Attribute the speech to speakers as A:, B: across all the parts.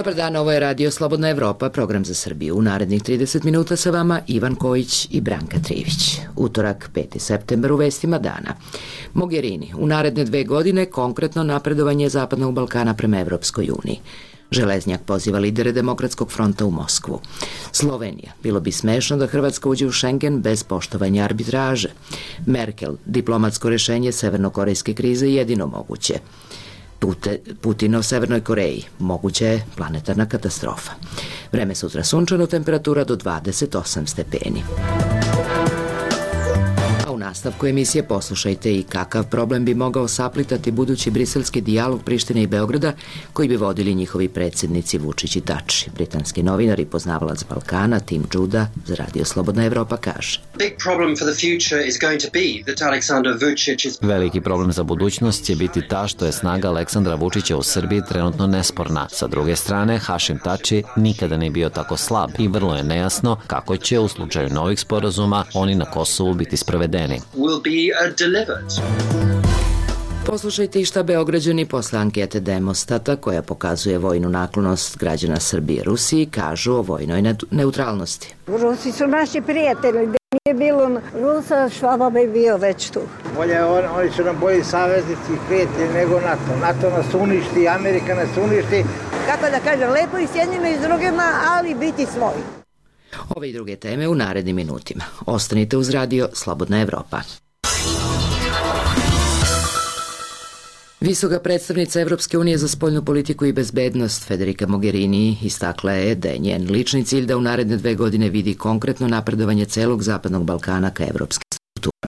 A: Dobar dan, ovo je Radio Slobodna Evropa, program za Srbiju. U narednih 30 minuta sa vama Ivan Kojić i Branka Trivić. Utorak, 5. septembar, u vestima dana. Mogherini, u naredne 2 godine konkretno napredovanje Zapadnog Balkana prema Evropskoj uniji. Železnjak poziva lidere Demokratskog fronta u Moskvu. Slovenija, bilo bi smešno da Hrvatska uđe u Schengen bez poštovanja arbitraže. Merkel, diplomatsko rešenje severnokorejske krize jedino moguće. Putin o Severnoj Koreji, moguća je planetarna katastrofa. Vreme sutra sunčano, temperatura do 28 stepeni. A u nastavku emisije poslušajte i kakav problem bi mogao saplitati budući briselski dijalog Prištine i Beograda koji bi vodili njihovi predsjednici Vučić i Tači. Britanski novinar i poznavalac Balkana Tim Juda za Radio Slobodna Evropa kaže:
B: Veliki problem za budućnost će biti ta što je snaga Aleksandra Vučića u Srbiji trenutno nesporna. Sa druge strane, Hašim Tači nikada nije bio tako slab i vrlo je nejasno kako će u slučaju novih sporazuma oni na Kosovu biti sprovedeni.
A: Poslušajte i šta Beograđani posle ankete Demostata, koja pokazuje vojnu naklonost građana Srbije Rusiji, kažu o vojnoj neutralnosti.
C: Rusi su naši prijatelji, da nije bilo Rusa, Švaba bi bio već tu.
D: Oni su nam bolji saveznici i prijatelji nego NATO. NATO nas uništi, Amerika nas uništi.
C: Kako da kažem, lepo i s jednima i s drugima, ali biti svoji.
A: Ove i druge teme u narednim minutima. Ostanite uz Radio Slobodna Evropa. Visoka predstavnica Evropske unije za spoljnu politiku i bezbednost Federica Mogherini istakla je da je njen lični cilj da u naredne 2 godine vidi konkretno napredovanje celog Zapadnog Balkana ka evropskim strukturama.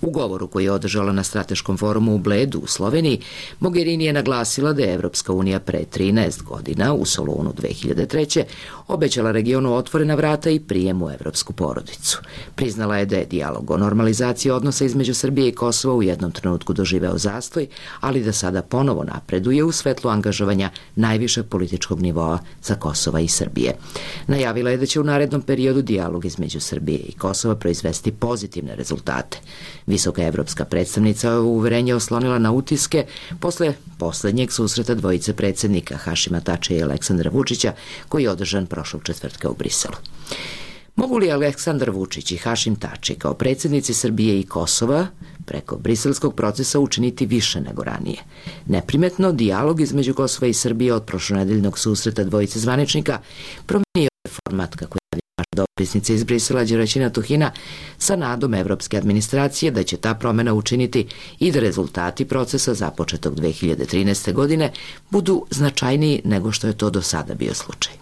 A: U govoru koji je održala na strateškom forumu u Bledu u Sloveniji, Mogherini je naglasila da je Evropska unija pre 13 godina u Solunu 2003. obećala regionu otvorena vrata i prijem u evropsku porodicu. Priznala je da je dijalog o normalizaciji odnosa između Srbije i Kosova u jednom trenutku doživeo zastoj, ali da sada ponovo napreduje u svetlu angažovanja najvišeg političkog nivoa za Kosova i Srbije. Najavila je da će u narednom periodu dijalog između Srbije i Kosova proizvesti pozitivne rezultate. Visoka evropska predstavnica uverenje oslonila na utiske posle poslednjeg susreta dvojice predsjednika Hašima Tačija i Aleksandra Vučića koji je održan prošlog četvrtka u Briselu. Mogu li Aleksandar Vučić i Hašim Tači kao predsjednici Srbije i Kosova preko briselskog procesa učiniti više nego ranije? Neprimetno, dijalog između Kosova i Srbije od prošlonedeljnog susreta dvojice zvaničnika promenio je format kako je naša dopisnica iz Brisela Đeraćina Tuhina sa nadom evropske administracije da će ta promena učiniti i da rezultati procesa započetog 2013. godine budu značajniji nego što je to do sada bio slučaj.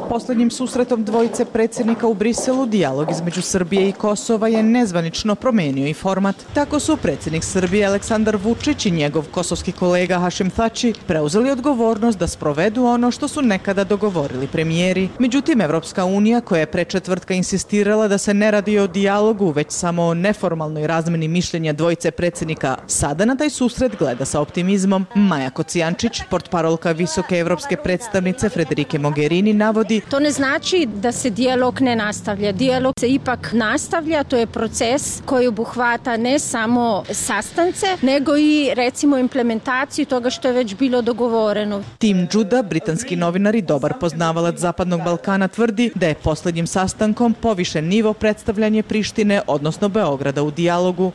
E: Poslednjim susretom dvojice predsjednika u Briselu dijalog između Srbije i Kosova je nezvanično promenio i format. Tako su predsjednik Srbije Aleksandar Vučić i njegov kosovski kolega Hašim Tači preuzeli odgovornost da sprovedu ono što su nekada dogovorili premijeri. Međutim, Evropska unija, koja je pre četvrtka insistirala da se ne radi o dijalogu, već samo o neformalnoj razmeni mišljenja dvojice predsjednika, sada na taj susret gleda sa optimizmom. Maja Kocijančić, portparolka visoke evropske predstavnice Federike Mogherini, navodi:
F: To ne znači da se dijalog ne nastavlja. Dijalog se ipak nastavlja, to je proces koji obuhvata ne samo sastance, nego i recimo implementaciju toga što je već bilo dogovoreno.
E: Tim Juda, britanski novinar i dobar poznavalac Zapadnog Balkana, tvrdi da je posljednjim sastankom povišen nivo predstavljanje Prištine, odnosno Beograda u dijalogu.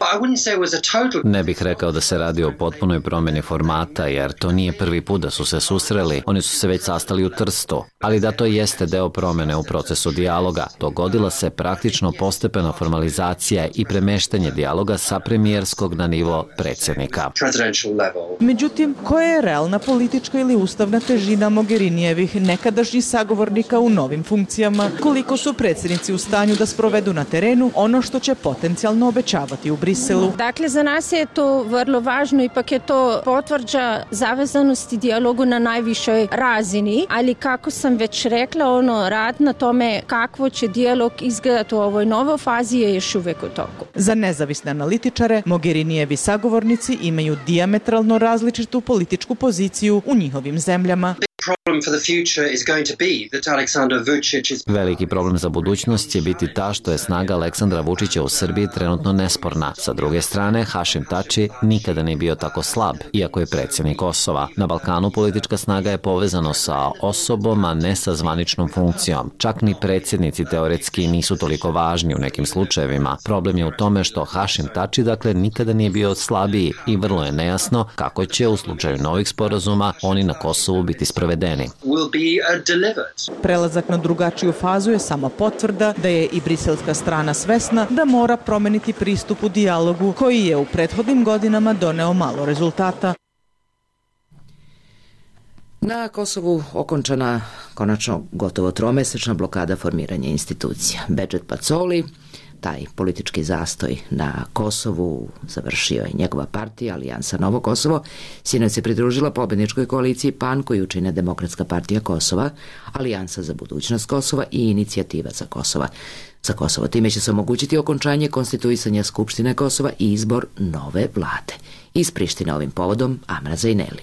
B: Ne bih rekao da se radi o potpunoj promjeni formata, jer to nije prvi put da su se susreli. Oni su se već sastali u Trstu, ali da to jeste deo promjene u procesu dijaloga. Dogodila se praktično postepena formalizacija i premeštanje dijaloga sa premijerskog na nivo predsjednika.
E: Međutim, koja je realna politička ili ustavna težina Mogherinijevih nekadašnjih sagovornika u novim funkcijama? Koliko su predsjednici u stanju da sprovedu na terenu ono što će potencijalno obećavati u Briselu?
F: Dakle, za nas je to vrlo važno, ipak je to potvrđa zavezanosti dijalogu na najvišoj razini, ali kako sam već rekla, rad na tome kakvo će dijalog izgledati u ovoj novoj fazi je još uvek u toku.
E: Za nezavisne analitičare, Mogherinijevi sagovornici imaju dijametralno različitu političku poziciju u njihovim zemljama.
B: Veliki problem za budućnost će biti ta što je snaga Aleksandra Vučića u Srbiji trenutno nesporna. Sa druge strane, Hašim Tači nikada nije bio tako slab, iako je predsjednik Kosova. Na Balkanu politička snaga je povezano sa osobom, a ne sa zvaničnom funkcijom. Čak ni predsjednici teoretski nisu toliko važni u nekim slučajevima. Problem je u tome što Hašim Tači, dakle, nikada nije bio slabiji i vrlo je nejasno kako će u slučaju novih sporazuma oni na Kosovu biti sprovedeni.
E: Prelazak na drugačiju fazu je sama potvrda da je i briselska strana svesna da mora promeniti pristup u dijalogu koji je u prethodnim godinama doneo malo rezultata.
A: Na Kosovu okončana konačno gotovo tromesečna blokada formiranja institucija. Bedžet Pacoli, taj politički zastoj na Kosovu, završio je njegova partija Alijansa Novo Kosovo, sinoć se pridružila pobedničkoj koaliciji PAN koju čine Demokratska partija Kosova, Alijansa za budućnost Kosova i Inicijativa za Kosovo. Time će se omogućiti okončanje konstituisanja Skupštine Kosova i izbor nove vlade. Iz Prištine ovim povodom Amra Zaineli.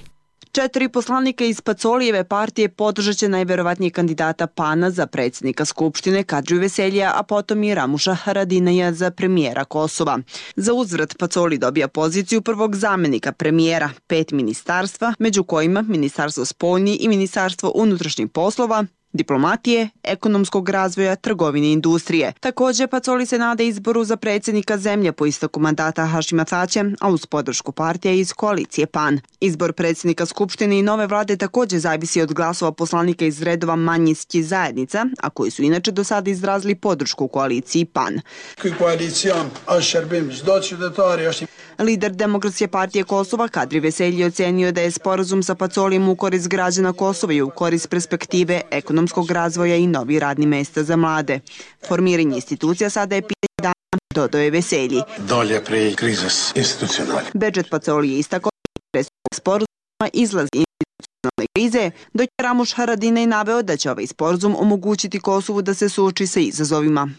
G: 4 poslanika iz Pacolijeve partije podržat će najverovatnije kandidata PAN-a za predsjednika Skupštine Kadriju Veseljija, a potom i Ramuša Haradinaja za premijera Kosova. Za uzvrat Pacoli dobija poziciju prvog zamenika premijera, 5 ministarstva, među kojima Ministarstvo spoljnih i Ministarstvo unutrašnjih poslova, diplomatije, ekonomskog razvoja, trgovine i industrije. Također, Pacoli se nada izboru za predsjednika zemlje po isteku mandata Hašima Tačija, a uz podršku partija iz koalicije PAN. Izbor predsjednika Skupštine i nove vlade također zavisi od glasova poslanika iz redova manjinskih zajednica, a koji su inače do sada izrazili podršku koaliciji PAN. Lider Demokratske partije Kosova Kadri Veselji ocenio da je sporazum sa Pacolijem u korist građana Kosova i u korist perspektive ekonomskog razvoja i novi radni mesta za mlade. Formiranje institucija sada je pitanje dana, dodao je Veselji.
H: Dolje pre krizes institucionalne.
G: Bedžet Pacoli je istakao da je sporazuma izlaz institucionalne krize, dok je Ramuš Haradinaj naveo da će ovaj sporazum omogućiti Kosovu da se suoči sa izazovima.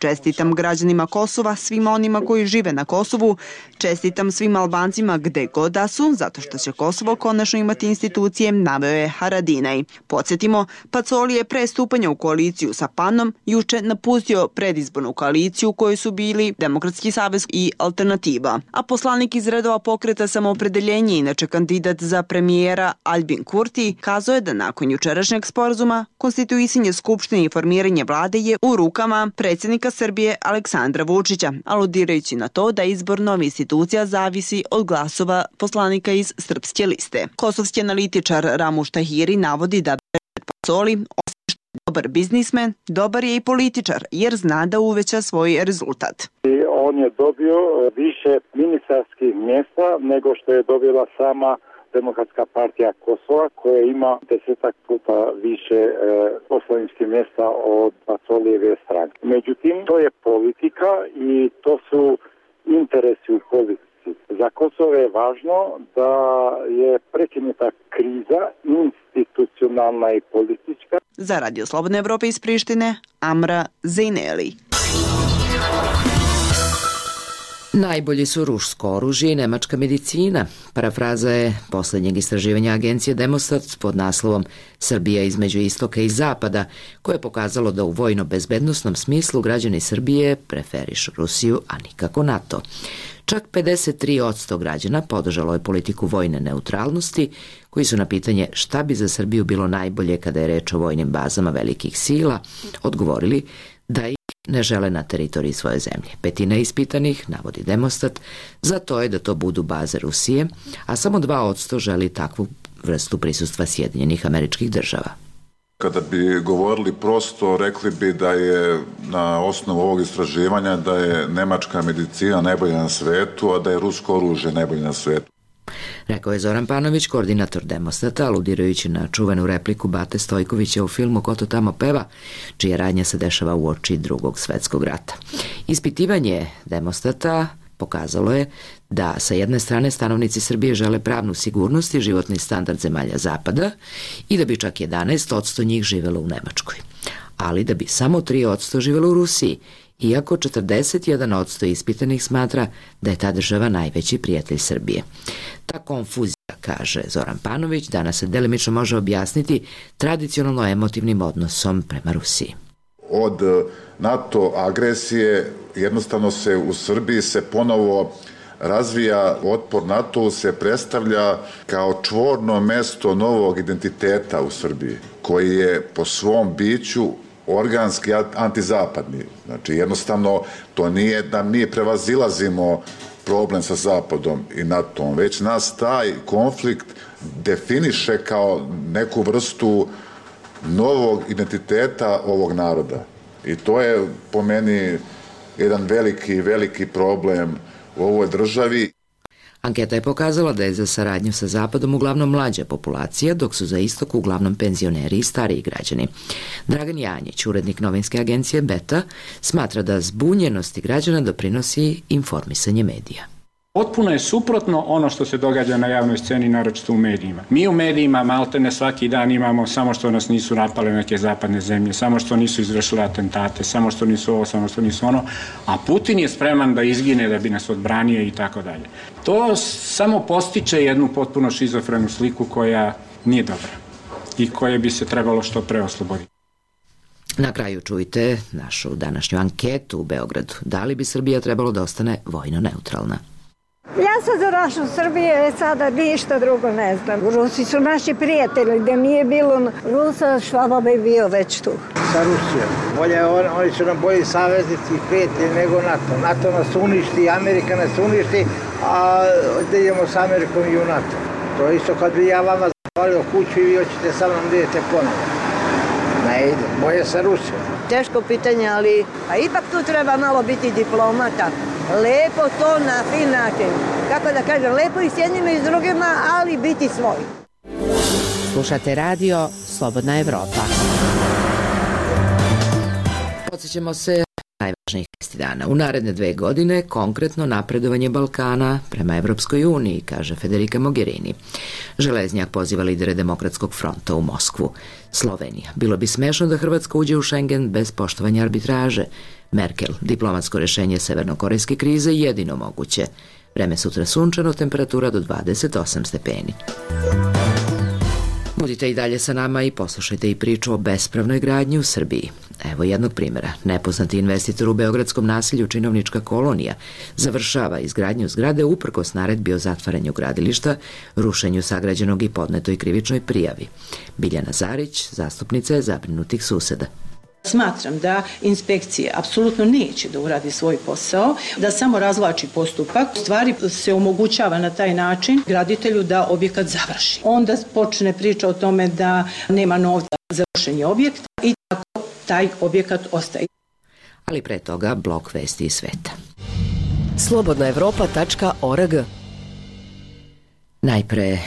G: Čestitam građanima Kosova, svima onima koji žive na Kosovu, čestitam svim Albancima gde god da su, zato što će Kosovo konačno imati institucije, naveo je Haradinaj. Podsjetimo, Pacoli je pre stupanja u koaliciju sa PAN-om juče napustio predizbornu koaliciju u kojoj su bili Demokratski savez i Alternativa. A poslanik iz redova pokreta Samoopredeljenje, inače kandidat za premijera Albin Kurti, kazao je da nakon jučerašnjeg sporazuma konstituisanje Skupštine i formiranje vlade je u rukama predsjednika Srbije Aleksandra Vučića, aludirajući na to da izbor novih institucija zavisi od glasova poslanika iz Srpske liste. Kosovski analitičar Ramuš Tahiri navodi da Bedžet Pacoli, osim što je dobar biznismen, dobar je i političar, jer zna da uveća svoj rezultat.
I: On je dobio više ministarskih mjesta nego što je dobila sama Demokratska partija Kosova, koja ima 10 puta više poslaničkih mjesta od Pacolijeve stranke. Međutim, to je politika i to su interesi u politici. Za Kosovo je važno da je prekinuta kriza institucionalna i politička.
G: Za Radio Slobodne Evrope iz Prištine, Amra Zaineli.
A: Najbolji su rusko oružje i nemačka medicina. Parafraza je posljednjeg istraživanja agencije Demostat pod naslovom Srbija između istoka i zapada, koje je pokazalo da u vojno-bezbednosnom smislu građani Srbije preferišu Rusiju, a nikako NATO. Čak 53% građana podržalo je politiku vojne neutralnosti, koji su na pitanje šta bi za Srbiju bilo najbolje kada je reč o vojnim bazama velikih sila, odgovorili da ih ne žele na teritoriji svoje zemlje. 1/5 ispitanih, navodi Demostat, za to je da to budu baze Rusije, a samo 2% želi takvu vrstu prisustva Sjedinjenih Američkih Država.
J: Kada bi govorili prosto, rekli bi da je na osnovu ovog istraživanja da je nemačka medicina najbolja na svetu, a da je rusko oružje najbolje na svetu.
A: Rekao je Zoran Panović, koordinator Demostata, aludirajući na čuvenu repliku Bate Stojkovića u filmu Ko to tamo peva, čija radnja se dešava uoči Drugog svetskog rata. Ispitivanje Demostata pokazalo je da sa jedne strane stanovnici Srbije žele pravnu sigurnost i životni standard zemalja zapada i da bi čak 11% njih živelo u Nemačkoj, ali da bi samo 3% živelo u Rusiji, iako 41% ispitanih smatra da je ta država najveći prijatelj Srbije. Ta konfuzija, kaže Zoran Panović, danas se delimično može objasniti tradicionalno emotivnim odnosom prema Rusiji.
J: Od NATO agresije jednostavno se u Srbiji se ponovo razvija otpor. NATO se predstavlja kao čvorno mesto novog identiteta u Srbiji, koji je po svom biću organski antizapadni. Znači jednostavno to nije da mi prevazilazimo problem sa Zapadom i NATO-om, već nas taj konflikt definiše kao neku vrstu novog identiteta ovog naroda. I to je po meni jedan veliki problem u ovoj državi.
A: Anketa je pokazala da je za saradnju sa Zapadom uglavnom mlađa populacija, dok su za istok uglavnom penzioneri i stariji građani. Dragan Janjić, urednik novinske agencije Beta, smatra da zbunjenosti građana doprinosi informisanje medija.
K: Potpuno je suprotno ono što se događa na javnoj sceni, naročito u medijima. Mi u medijima maltene svaki dan imamo samo što nas nisu napale neke zapadne zemlje, samo što nisu izvršile atentate, samo što nisu ovo, samo što nisu ono, a Putin je spreman da izgine da bi nas odbranio i tako dalje. To samo postiče jednu potpuno šizofrenu sliku koja nije dobra i koje bi se trebalo što pre osloboditi.
A: Na kraju čujte našu današnju anketu u Beogradu. Da li bi Srbija trebalo da ostane vojno neutralna?
C: Ja sam za našu Srbiju, sada ništa drugo ne znam. Rusi su naši prijatelji, da nije bilo Rusa, Švaba bi bio već tu.
D: Sa Rusijom. Bolje, oni su nam bolji saveznici i prijatelji nego NATO. NATO nas uništi, Amerika nas uništi, a da idemo s Amerikom i u NATO. To je isto kad bi ja vama zapalio kuću i vi hoćete sa mnom da idete ponovo. Ne ide, bolje sa Rusijom.
L: Teško pitanje, ali ipak tu treba malo biti diplomata. Lepo to na fin način. Kako da kažem, lepo i s jednima i s drugima, ali biti svoj.
M: Slušate radio Slobodna Evropa.
A: Podsjećamo se najvažnijih vesti dana. U naredne 2 godine konkretno napredovanje Balkana prema Evropskoj uniji, kaže Federica Mogherini. Železnjak poziva lidere Demokratskog fronta u Moskvu. Slovenija. Bilo bi smešno da Hrvatska uđe u Schengen bez poštovanja arbitraže. Merkel. Diplomatsko rešenje severnokorejske krize jedino moguće. Vreme sutra sunčano, temperatura do 28 stepeni. Budite i dalje sa nama i poslušajte i priču o bespravnoj gradnji u Srbiji. Evo jednog primjera. Nepoznati investitor u beogradskom naselju Činovnička kolonija završava izgradnju zgrade uprkos naredbi o zatvaranju gradilišta, rušenju sagrađenog i podnetoj krivičnoj prijavi. Biljana Zarić, zastupnica je zabrinutih suseda.
N: Smatram da inspekcija apsolutno neće da uradi svoj posao, da samo razvlači postupak. U stvari se omogućava na taj način graditelju da objekat završi. Onda počne priča o tome da nema novca za rušenje objekta i tako taj objekat ostaje.
A: Ali pre toga blok vesti iz sveta.
M: slobodnaevropa.org.
A: Najpre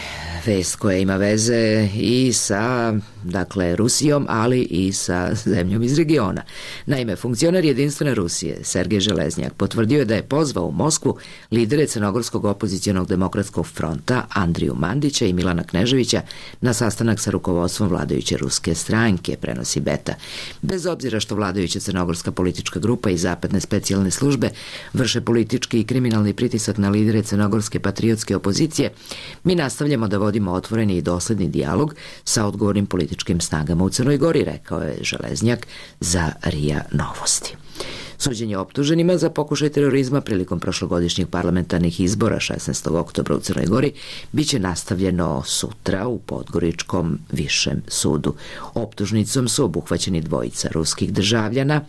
A: vest koja ima veze i sa, Rusijom, ali i sa zemljom iz regiona. Naime, funkcioner Jedinstvene Rusije, Sergej Železnjak, potvrdio je da je pozvao u Moskvu lidere Crnogorskog opozicionog demokratskog fronta Andriju Mandića i Milana Kneževića na sastanak sa rukovodstvom vladajuće ruske stranke, prenosi Beta. Bez obzira što vladajuća crnogorska politička grupa i zapadne specijalne službe vrše politički i kriminalni pritisak na lidere crnogorske patriotske opozicije, mi nastavljamo da vodimo otvoreni i dosledni dijalog sa odgovornim političkim snagama u Crnoj Gori, rekao je Železnjak za RIA Novosti. Suđenje optuženima za pokušaj terorizma prilikom prošlogodišnjih parlamentarnih izbora 16. oktobra u Crnoj Gori biće nastavljeno sutra u Podgoričkom višem sudu. Optužnicom su obuhvaćeni dvojica ruskih državljana,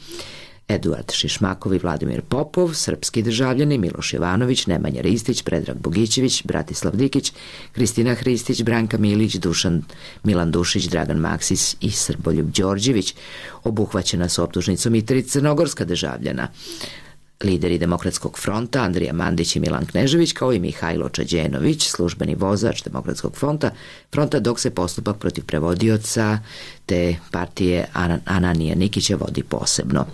A: Eduard Šišmakov i Vladimir Popov, srpski državljani Miloš Jovanović, Nemanja Ristić, Predrag Bogićević, Bratislav Dikić, Kristina Hristić, Branka Milić, Milan Dušić, Dragan Maksis i Srboljub Đorđević. Obuhvaćena su optužnicom i 3 crnogorska državljana. Lideri Demokratskog fronta Andrija Mandić i Milan Knežević, kao i Mihajlo Čađenović, službeni vozač Demokratskog fronta, dok se postupak protiv prevodioca te partije Ananija Nikića vodi posebno.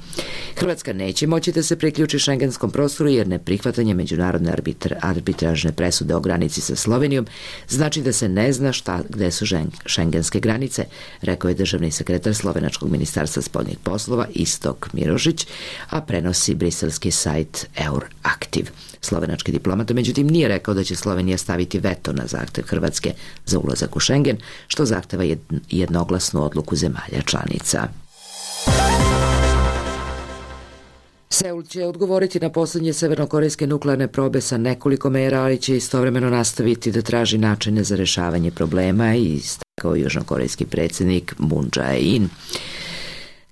A: Hrvatska neće moći da se priključi šengenskom prostoru jer neprihvatanje međunarodne arbitražne presude o granici sa Slovenijom znači da se ne zna gde su šengenske granice, rekao je državni sekretar Slovenačkog ministarstva spoljnih poslova Istok Mirožić, a prenosi briselski sajt Euraktiv. Slovenački diplomata međutim nije rekao da će Slovenija staviti veto na zahtev Hrvatske za ulazak u Schengen, što zahteva jednoglasnu odluku zemalja članica. Seul će odgovoriti na poslednje severnokorejske nuklearne probe sa nekoliko mera, ali će istovremeno nastaviti da traži načine za rešavanje problema, i istakao južnokorejski predsjednik Moon Jae-in.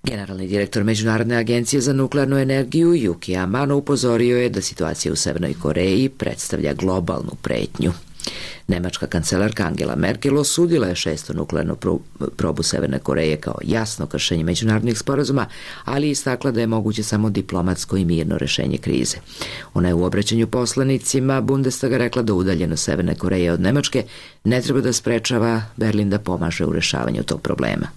A: Generalni direktor Međunarodne agencije za nuklearnu energiju Yuki Amano upozorio je da situacija u Severnoj Koreji predstavlja globalnu pretnju. Nemačka kancelarka Angela Merkel osudila je 6. nuklearnu probu Severne Koreje kao jasno kršenje međunarodnih sporazuma, ali istakla da je moguće samo diplomatsko i mirno rešenje krize. Ona je u obraćanju poslanicima Bundestaga rekla da udaljenost Severne Koreje od Nemačke ne treba da sprečava Berlin da pomaže u rešavanju tog problema.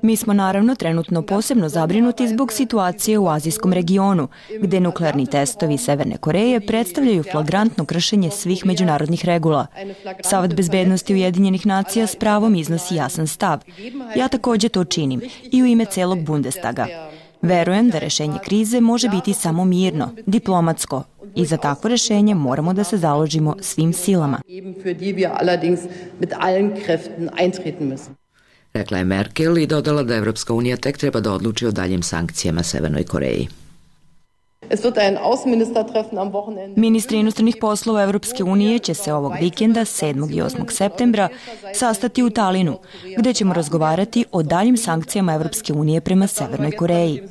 O: Mi smo naravno trenutno posebno zabrinuti zbog situacije u azijskom regionu, gde nuklearni testovi Severne Koreje predstavljaju flagrantno kršenje svih međunarodnih regula. Savet bezbednosti Ujedinjenih nacija s pravom iznosi jasan stav. Ja takođe to činim i u ime celog Bundestaga. Verujem da rešenje krize može biti samo mirno, diplomatsko, i za takvo rešenje moramo da se založimo svim silama.
A: Rekla je Merkel i dodala da Evropska unija tek treba da odluči o daljim sankcijama Severnoj Koreji.
O: Ministri inostranih poslova Evropske unije će se ovog vikenda, 7. i 8. septembra, sastati u Talinu, gde ćemo razgovarati o daljim sankcijama Evropske unije prema Severnoj Koreji.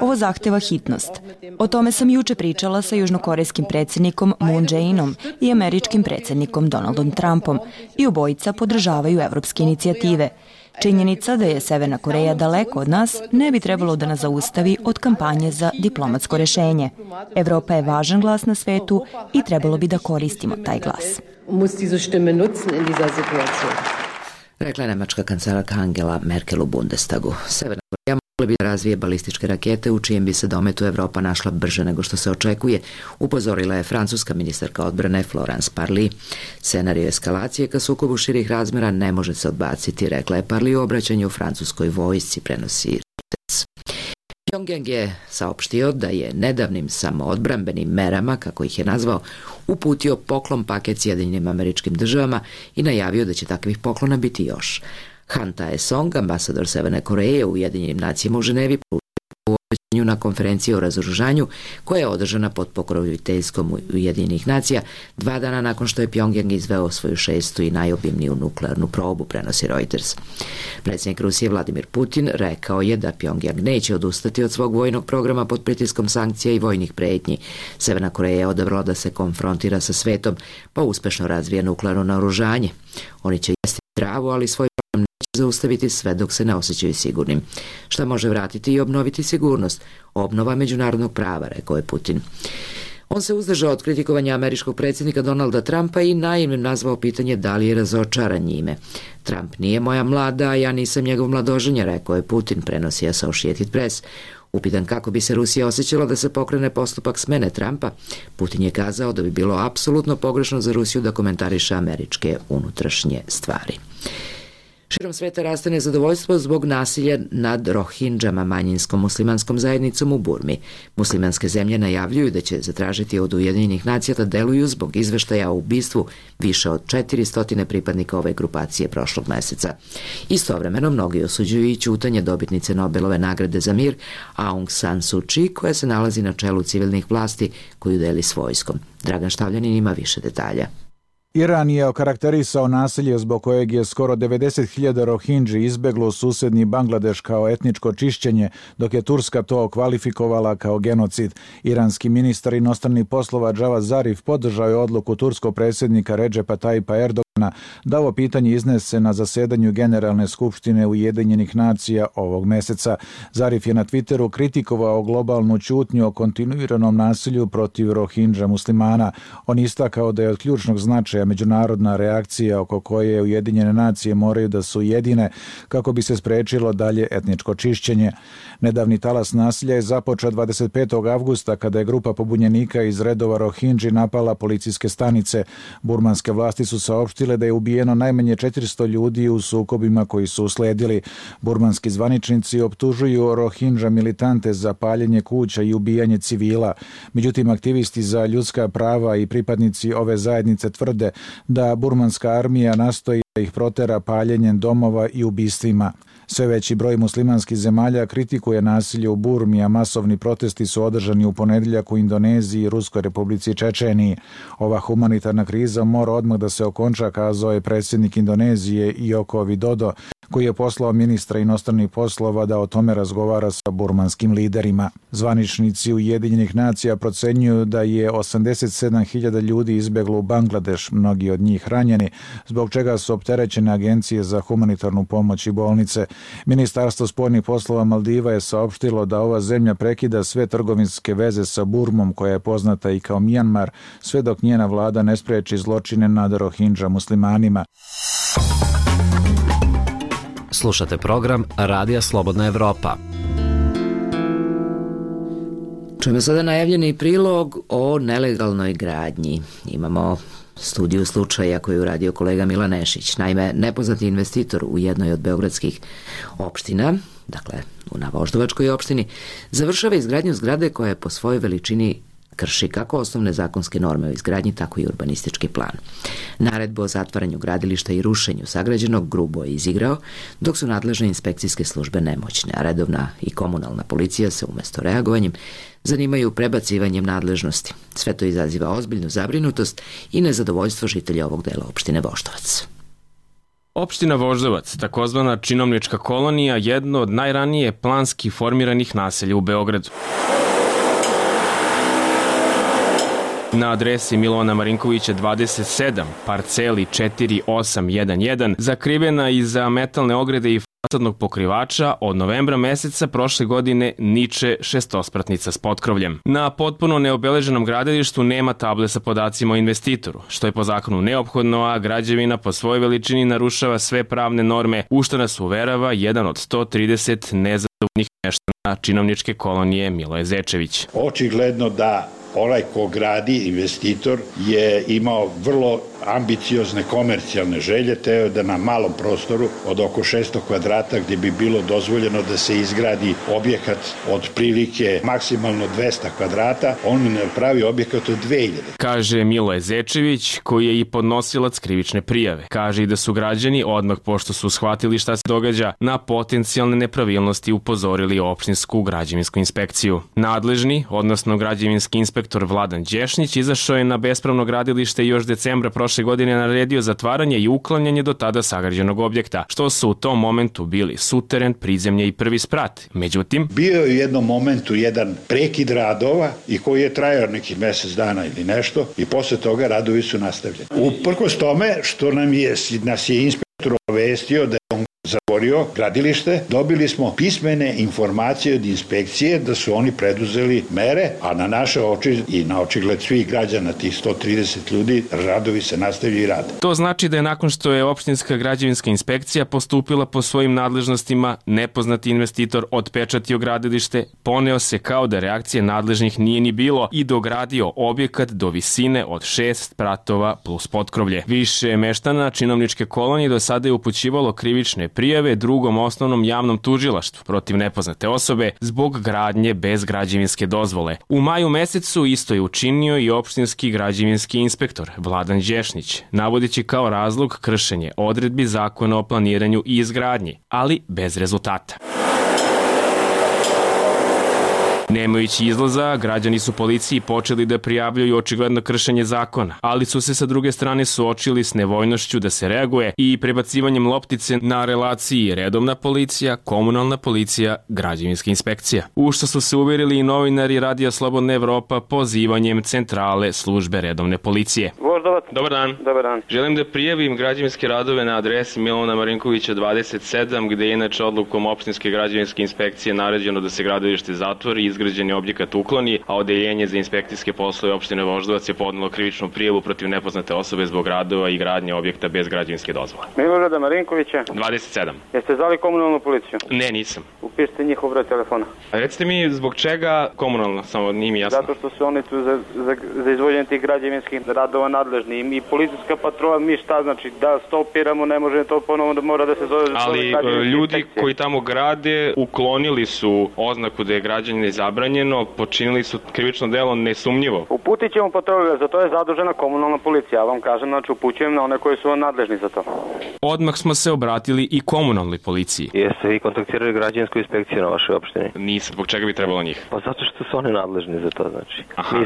O: Ovo zahteva hitnost. O tome sam juče pričala sa južnokorejskim predsjednikom Moon Jae-inom i američkim predsjednikom Donaldom Trumpom i obojica podržavaju evropske inicijative. Činjenica da je Severna Koreja daleko od nas ne bi trebalo da nas zaustavi od kampanje za diplomatsko rešenje. Evropa je važan glas na svetu i trebalo bi da koristimo taj glas.
A: Rekla je nemačka kancelarka Angela Merkel u Bundestagu. Severna Koreja mogla bi da razvije balističke rakete u čijem bi se dometu Evropa našla brže nego što se očekuje, upozorila je francuska ministarka odbrane Florence Parly. Scenario eskalacije ka sukobu širih razmera ne može se odbaciti, rekla je Parly u obraćanju francuskoj vojsci, prenosi Reuters. Pyongyang je saopštio da je nedavnim samoodbrambenim merama, kako ih je nazvao, uputio poklon paket Sjedinjenim Američkim Državama i najavio da će takvih poklona biti još. Han Tae-song, ambasador Severne Koreje u Ujedinjenim nacijama u Ženevi, u obraćanju na konferenciji o razoružanju koja je održana pod pokroviteljstvom Ujedinjenih nacija 2 dana nakon što je Pyongyang izveo svoju 6. i najobimniju nuklearnu probu, prenosi Reuters. Predsjednik Rusije Vladimir Putin rekao je da Pyongyang neće odustati od svog vojnog programa pod pritiskom sankcija i vojnih pretnji. Severna Koreja je odabrala da se konfrontira sa svetom, pa uspešno razvija nuklearno naoružanje. Oni će jesti travu, ali svoj program neće zaustaviti sve dok se ne osjećaju sigurnim. Šta može vratiti i obnoviti sigurnost? Obnova međunarodnog prava, rekao je Putin. On se uzdržao od kritikovanja američkog predsjednika Donalda Trumpa i naivnim nazvao pitanje da li je razočaran njime. Trump nije moja mlada, a ja nisam njegov mladoženja, rekao je Putin, prenosi Associated Press. Upitan kako bi se Rusija osjećala da se pokrene postupak smene Trumpa, Putin je kazao da bi bilo apsolutno pogrešno za Rusiju da komentariše američke unutrašnje stvari. Širom sveta raste nezadovoljstvo zbog nasilja nad Rohinđama, manjinskom muslimanskom zajednicom u Burmi. Muslimanske zemlje najavljuju da će zatražiti od Ujedinjenih nacija da deluju zbog izveštaja o ubistvu više od 400 pripadnika ove grupacije prošlog meseca. Istovremeno mnogi osuđuju i ćutanje dobitnice Nobelove nagrade za mir Aung San Suu Kyi, koja se nalazi na čelu civilnih vlasti koju deli s vojskom. Dragan Štavljanin ima više detalja.
P: Iran je okarakterisao nasilje zbog kojeg je skoro 90.000 Rohingji izbeglo u susedni Bangladeš kao etničko čišćenje, dok je Turska to okvalifikovala kao genocid. Iranski ministar inostranih poslova Javad Zarif podržao je odluku turskog predsjednika Redžepa Tayyipa Erdogana da ovo pitanje iznese na zasedanju Generalne skupštine Ujedinjenih nacija ovog meseca. Zarif je na Twitteru kritikovao globalnu ćutnju o kontinuiranom nasilju protiv Rohingja muslimana. On istakao da je od ključnog značaja međunarodna reakcija oko koje Ujedinjene nacije moraju da su jedine kako bi se sprečilo dalje etničko čišćenje. Nedavni talas nasilja je započeo 25. avgusta kada je grupa pobunjenika iz redova Rohingji napala policijske stanice. Burmanske vlasti su saopštile saopštile da je ubijeno najmanje 400 ljudi u sukobima koji su usledili. Burmanski zvaničnici optužuju Rohingya militante za paljenje kuća i ubijanje civila. Međutim, aktivisti za ljudska prava i pripadnici ove zajednice tvrde da burmanska armija nastoji da ih protera paljenjem domova i ubistvima. Sve veći broj muslimanskih zemalja kritikuje nasilje u Burmi, a masovni protesti su održani u ponedjeljak u Indoneziji i Ruskoj republici Čečeniji. Ova humanitarna kriza mora odmah da se okonča, kazao je predsjednik Indonezije Joko Widodo, koji je poslao ministra inostranih poslova da o tome razgovara sa burmanskim liderima. Zvaničnici Ujedinjenih nacija procenjuju da je 87.000 ljudi izbjeglo u Bangladeš, mnogi od njih ranjeni, zbog čega su opterećene agencije za humanitarnu pomoć i bolnice. Ministarstvo spoljnih poslova Maldiva je saopštilo da ova zemlja prekida sve trgovinske veze sa Burmom, koja je poznata i kao Mijanmar, sve dok njena vlada ne spreči zločine nad Rohingya muslimanima.
B: Slušate program Radija Slobodna Evropa.
A: Čujemo sada najavljeni prilog o nelegalnoj gradnji. Imamo studiju slučaja koju je uradio kolega Mila Nešić. Naime, nepoznati investitor u jednoj od beogradskih opština, dakle na Voždovačkoj opštini, završava izgradnju zgrade koja je po svojoj veličini krši kako osnovne zakonske norme o izgradnji, tako i urbanistički plan. Naredbu o zatvaranju gradilišta i rušenju sagrađenog grubo je izigrao, dok su nadležne inspekcijske službe nemoćne, a redovna i komunalna policija se umjesto reagovanjem zanimaju prebacivanjem nadležnosti. Sve to izaziva ozbiljnu zabrinutost i nezadovoljstvo žitelja ovog dela opštine Voždovac.
Q: Opština Voždovac, takozvana činovnička kolonija, jedno od najranije planski formiranih naselja u Beogradu. Na adresi Milovana Marinkovića 27, parceli 4811, zakrivena iza metalne ograde i fasadnog pokrivača, od novembra meseca prošle godine niče šestospratnica s potkrovljem. Na potpuno neobeleženom gradilištu nema table sa podacima o investitoru, što je po zakonu neophodno, a građevina po svojoj veličini narušava sve pravne norme, u što nas uverava jedan od 130 nezadovoljnih meštana činovničke kolonije Miloje Zečević.
R: Očigledno da onaj ko gradi, investitor, je imao vrlo ambiciozne komercijalne želje, teo da na malom prostoru od oko 600 kvadrata, gdje bi bilo dozvoljeno da se izgradi objekat od prilike maksimalno 200 kvadrata, on pravi objekat od 2000.
Q: Kaže Miloje Zečević, koji je i podnosilac krivične prijave. Kaže i da su građani, odmah pošto su shvatili šta se događa, na potencijalne nepravilnosti upozorili opštinsku građevinsku inspekciju. Nadležni, odnosno građevinski inspektor Vladan Đešnić, izašao je na bespravno gradilište još decembra prošle godine naredio zatvaranje i uklanjanje do tada sagrađenog objekta, što su u tom momentu bili suteren, prizemlje i prvi sprat. Međutim,
R: bio je u jednom momentu jedan prekid radova i koji je trajao nekih mjesec dana ili nešto i posle toga radovi su nastavljeni. Uprkos tome što nas je inspektor obavestio da je on zatvorio gradilište, dobili smo pismene informacije od inspekcije da su oni preduzeli mere, a na naše oči i na očigled svih građana, tih 130 ljudi, radovi se nastavljaju i rade.
Q: To znači da je nakon što je opštinska građevinska inspekcija postupila po svojim nadležnostima, nepoznati investitor otpečatio gradilište, poneo se kao da reakcije nadležnih nije ni bilo i dogradio objekat do visine od 6 spratova plus potkrovlje. Više meštana činovničke kolonije do sada je upućivalo krivične prijave drugom osnovnom javnom tužilaštvu protiv nepoznate osobe zbog gradnje bez građevinske dozvole. U maju mesecu isto je učinio i opštinski građevinski inspektor Vladan Đešnić, navodeći kao razlog kršenje odredbi zakona o planiranju i izgradnji, ali bez rezultata. Nemajući izlaza, građani su policiji počeli da prijavljuju očigledno kršenje zakona, ali su se sa druge strane suočili s nevoljnošću da se reaguje i prebacivanjem loptice na relaciji redovna policija, komunalna policija, građevinska inspekcija. U što su se uverili i novinari Radija Slobodna Evropa pozivanjem centrale službe redovne policije.
S: Voždovac.
Q: Dobar dan.
S: Dobar dan.
Q: Želim da prijavim građevinske radove na adresi Milovana Marinkovića 27, gde je inače odlukom opštinske građevinske inspekcije naređeno da se gradilište zatvori i izgrađeni objekat ukloni, a Odeljenje za inspekcijske poslove opštine Voždovac je podnelo krivičnu prijavu protiv nepoznate osobe zbog radova i gradnje objekta bez građevinske dozvole.
S: Milorada Marinkovića.
Q: 27.
S: Jeste zvali komunalnu policiju?
Q: Ne, nisam.
S: Upišite njihov broj telefona.
Q: A recite mi zbog čega komunalno, samo nije mi jasno.
S: Zato što su oni tu za izvođenje tih građevinskih radova nadležni i policijska patrola, mi šta znači da stopiramo, ne može to ponovo da mora da se zove.
Q: Ali ljudi koji tamo grade uklonili su oznaku da je građenje zabranjeno, počinili su krivično delo nesumnjivo.
S: Uputit ćemo patrolju, za to je zadužena komunalna policija, ja vam kažem, znači upućujem na one koji su nadležni za to.
Q: Odmah smo se obratili i komunalnoj policiji.
T: Jeste vi kontaktirali građevinsku inspekciju na vašoj opštini?
Q: Nisam, zbog čega bi trebalo njih?
T: Pa zato što su oni nadležni za to, znači.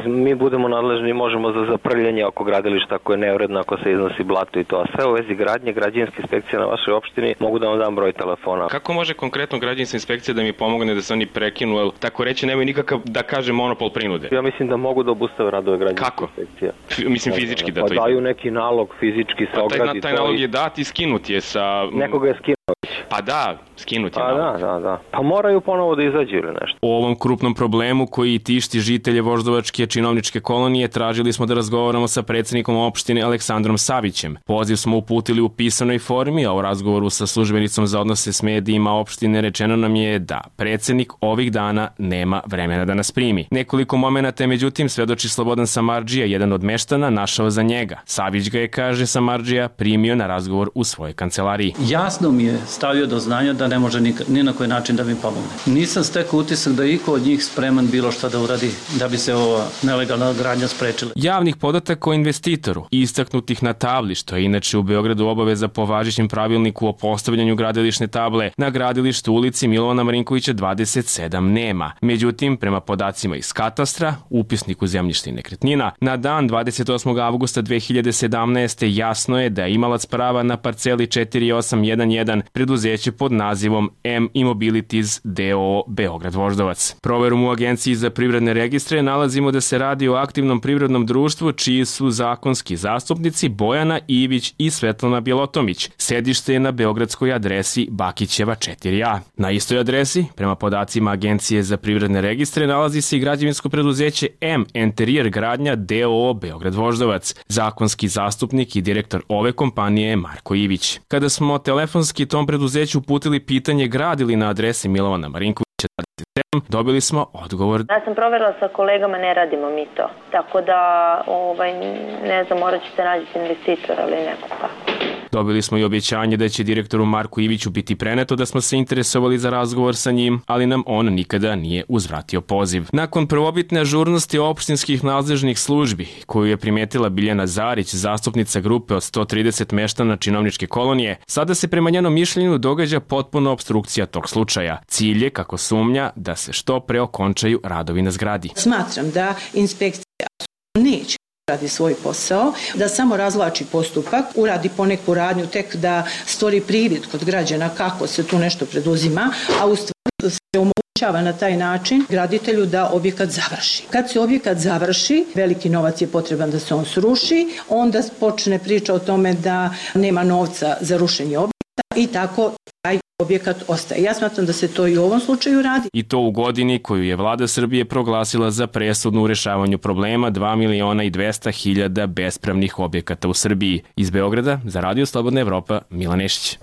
T: Mi budemo nadležni, možemo za zaprljanje oko gradilišta ako je neuredno, ako se iznosi blato i to, a sve u vezi gradnje, građevinske inspekcije na vašoj opštini, mogu da vam dam broj telefona.
Q: Kako može konkretno građevinska inspekcija da mi pomogne da se oni prekinu, jer tako reći nemaju nikakav, da kaže, monopol prinude?
T: Ja mislim da mogu da obustave radove građevinske inspekcije.
Q: Kako? Mislim fizički da to ide.
T: Pa daju neki nalog, fizički se ogradi.
Q: Taj nalog je dat i skinut je sa...
T: Nekoga je skinuo.
Q: Pa da, skinut je
T: nalog. Da. Pa moraju ponovo da izađu ili nešto.
Q: O ovom krupnom problemu koji tišti žitelje Voždovačke činovničke kolonije tražili smo da razgovaramo sa predsednikom opštine Aleksandrom Savićem. Poziv smo uputili u pisanoj formi, a u razgovoru sa službenicom za odnose s medijima opštine rečeno nam je da predsednik ovih dana nema vremena da nas primi. Nekoliko momenata je međutim svedoči Slobodan Samardžija, jedan od meštana, našao za njega. Savić ga je, kaže Samardžija, primio na razgovor u svojoj kancelariji.
U: Jasno mi je stavio do znanja da ne može ni na koji način da mi pomogne. Nisam stekao utisak da iko od njih spreman bilo šta da uradi da bi se ova nelegalna gradnja sprečila.
Q: Javnih podataka o investitoru, istaknutih na tabli, što je inače u Beogradu obaveza po važećem pravilniku o postavljanju gradilišne table, na gradilištu ulici Milovana Marinkovića 27 nema. Međutim, prema podacima iz katastra, upisniku zemljišta i nekretnina, na dan 28. avgusta 2017. jasno je da je imalac prava na parceli 4811 preduzeće pod nazivom M Immobilities d.o.o. Beograd Voždovac. Proverom u Agenciji za privredne registre nalazimo da se radi o aktivnom privrednom društvu čiji su zakonski zastupnici Bojana Ivić i Svetlana Bjelotomić. Sedište je na beogradskoj adresi Bakićeva 4A. Na istoj adresi, prema podacima Agencije za privredne registre, nalazi se i građevinsko preduzeće M Interijer gradnja d.o.o. Beograd Voždovac. Zakonski zastupnik i direktor ove kompanije je Marko Ivić. Kada smo telefonski tom preduzeću uputili pitanje gradili na adresi Milovana Marinkovića 27, dobili smo odgovor.
V: Ja sam proverila sa kolegama, ne radimo mi to. Tako da, ne znam, morat ćete naći investitora ili nekog tako.
Q: Dobili smo i objećanje da će direktoru Marku Iviću biti preneto da smo se interesovali za razgovor sa njim, ali nam on nikada nije uzvratio poziv. Nakon prvobitne ažurnosti opštinskih nadležnih službi, koju je primetila Biljana Zarić, zastupnica grupe od 130 meštana činovničke kolonije, sada se prema njenom mišljenju događa potpuna opstrukcija tog slučaja. Cilj je, kako sumnja, da se što pre okončaju radovi na zgradi.
N: Smatram da inspekcija neće radi svoj posao, da samo razvlači postupak, uradi poneku radnju tek da stvori privid kod građana kako se tu nešto preduzima, a u stvari se omogućava na taj način graditelju da objekat završi. Kad se objekat završi, veliki novac je potreban da se on sruši, onda počne priča o tome da nema novca za rušenje objekta i tako taj objekat ostaje. Ja smatram da se to i u ovom slučaju radi.
Q: I to u godini koju je vlada Srbije proglasila za presudnu u rešavanju problema 2.200.000 bespravnih objekata u Srbiji. Iz Beograda, za Radio Slobodna Evropa, Milan Nešić.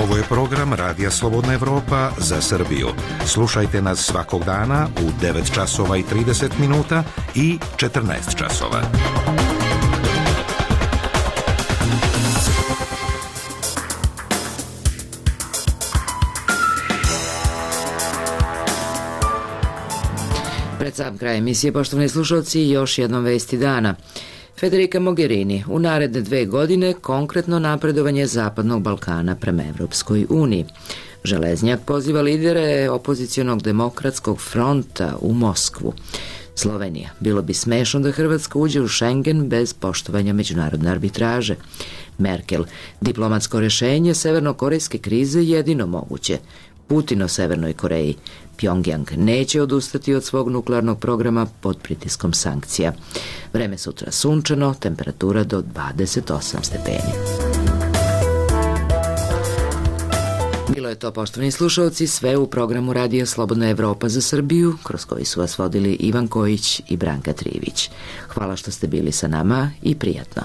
W: Ovo je program Radija Slobodna Evropa za Srbiju. Slušajte nas svakog dana u 9 časova i 30 minuta i 14 časova.
A: Pred sam kraj emisije, poštovani slušalci, još jednom vesti dana. Federica Mogherini, u naredne 2 godine konkretno napredovanje Zapadnog Balkana prema Evropskoj uniji. Železnjak poziva lidere opozicionog demokratskog fronta u Moskvu. Slovenija, bilo bi smešno da Hrvatska uđe u Schengen bez poštovanja međunarodne arbitraže. Merkel, diplomatsko rešenje severnokorejske krize jedino moguće. Putin o Severnoj Koreji. Pjongjang neće odustati od svog nuklearnog programa pod pritiskom sankcija. Vreme sutra sunčano, temperatura do 28 stepeni. Bilo je to, poštovani slušalci, sve u programu Radio Slobodna Evropa za Srbiju, kroz koji su vas vodili Ivan Kojić i Branka Trivić. Hvala što ste bili sa nama i prijatno.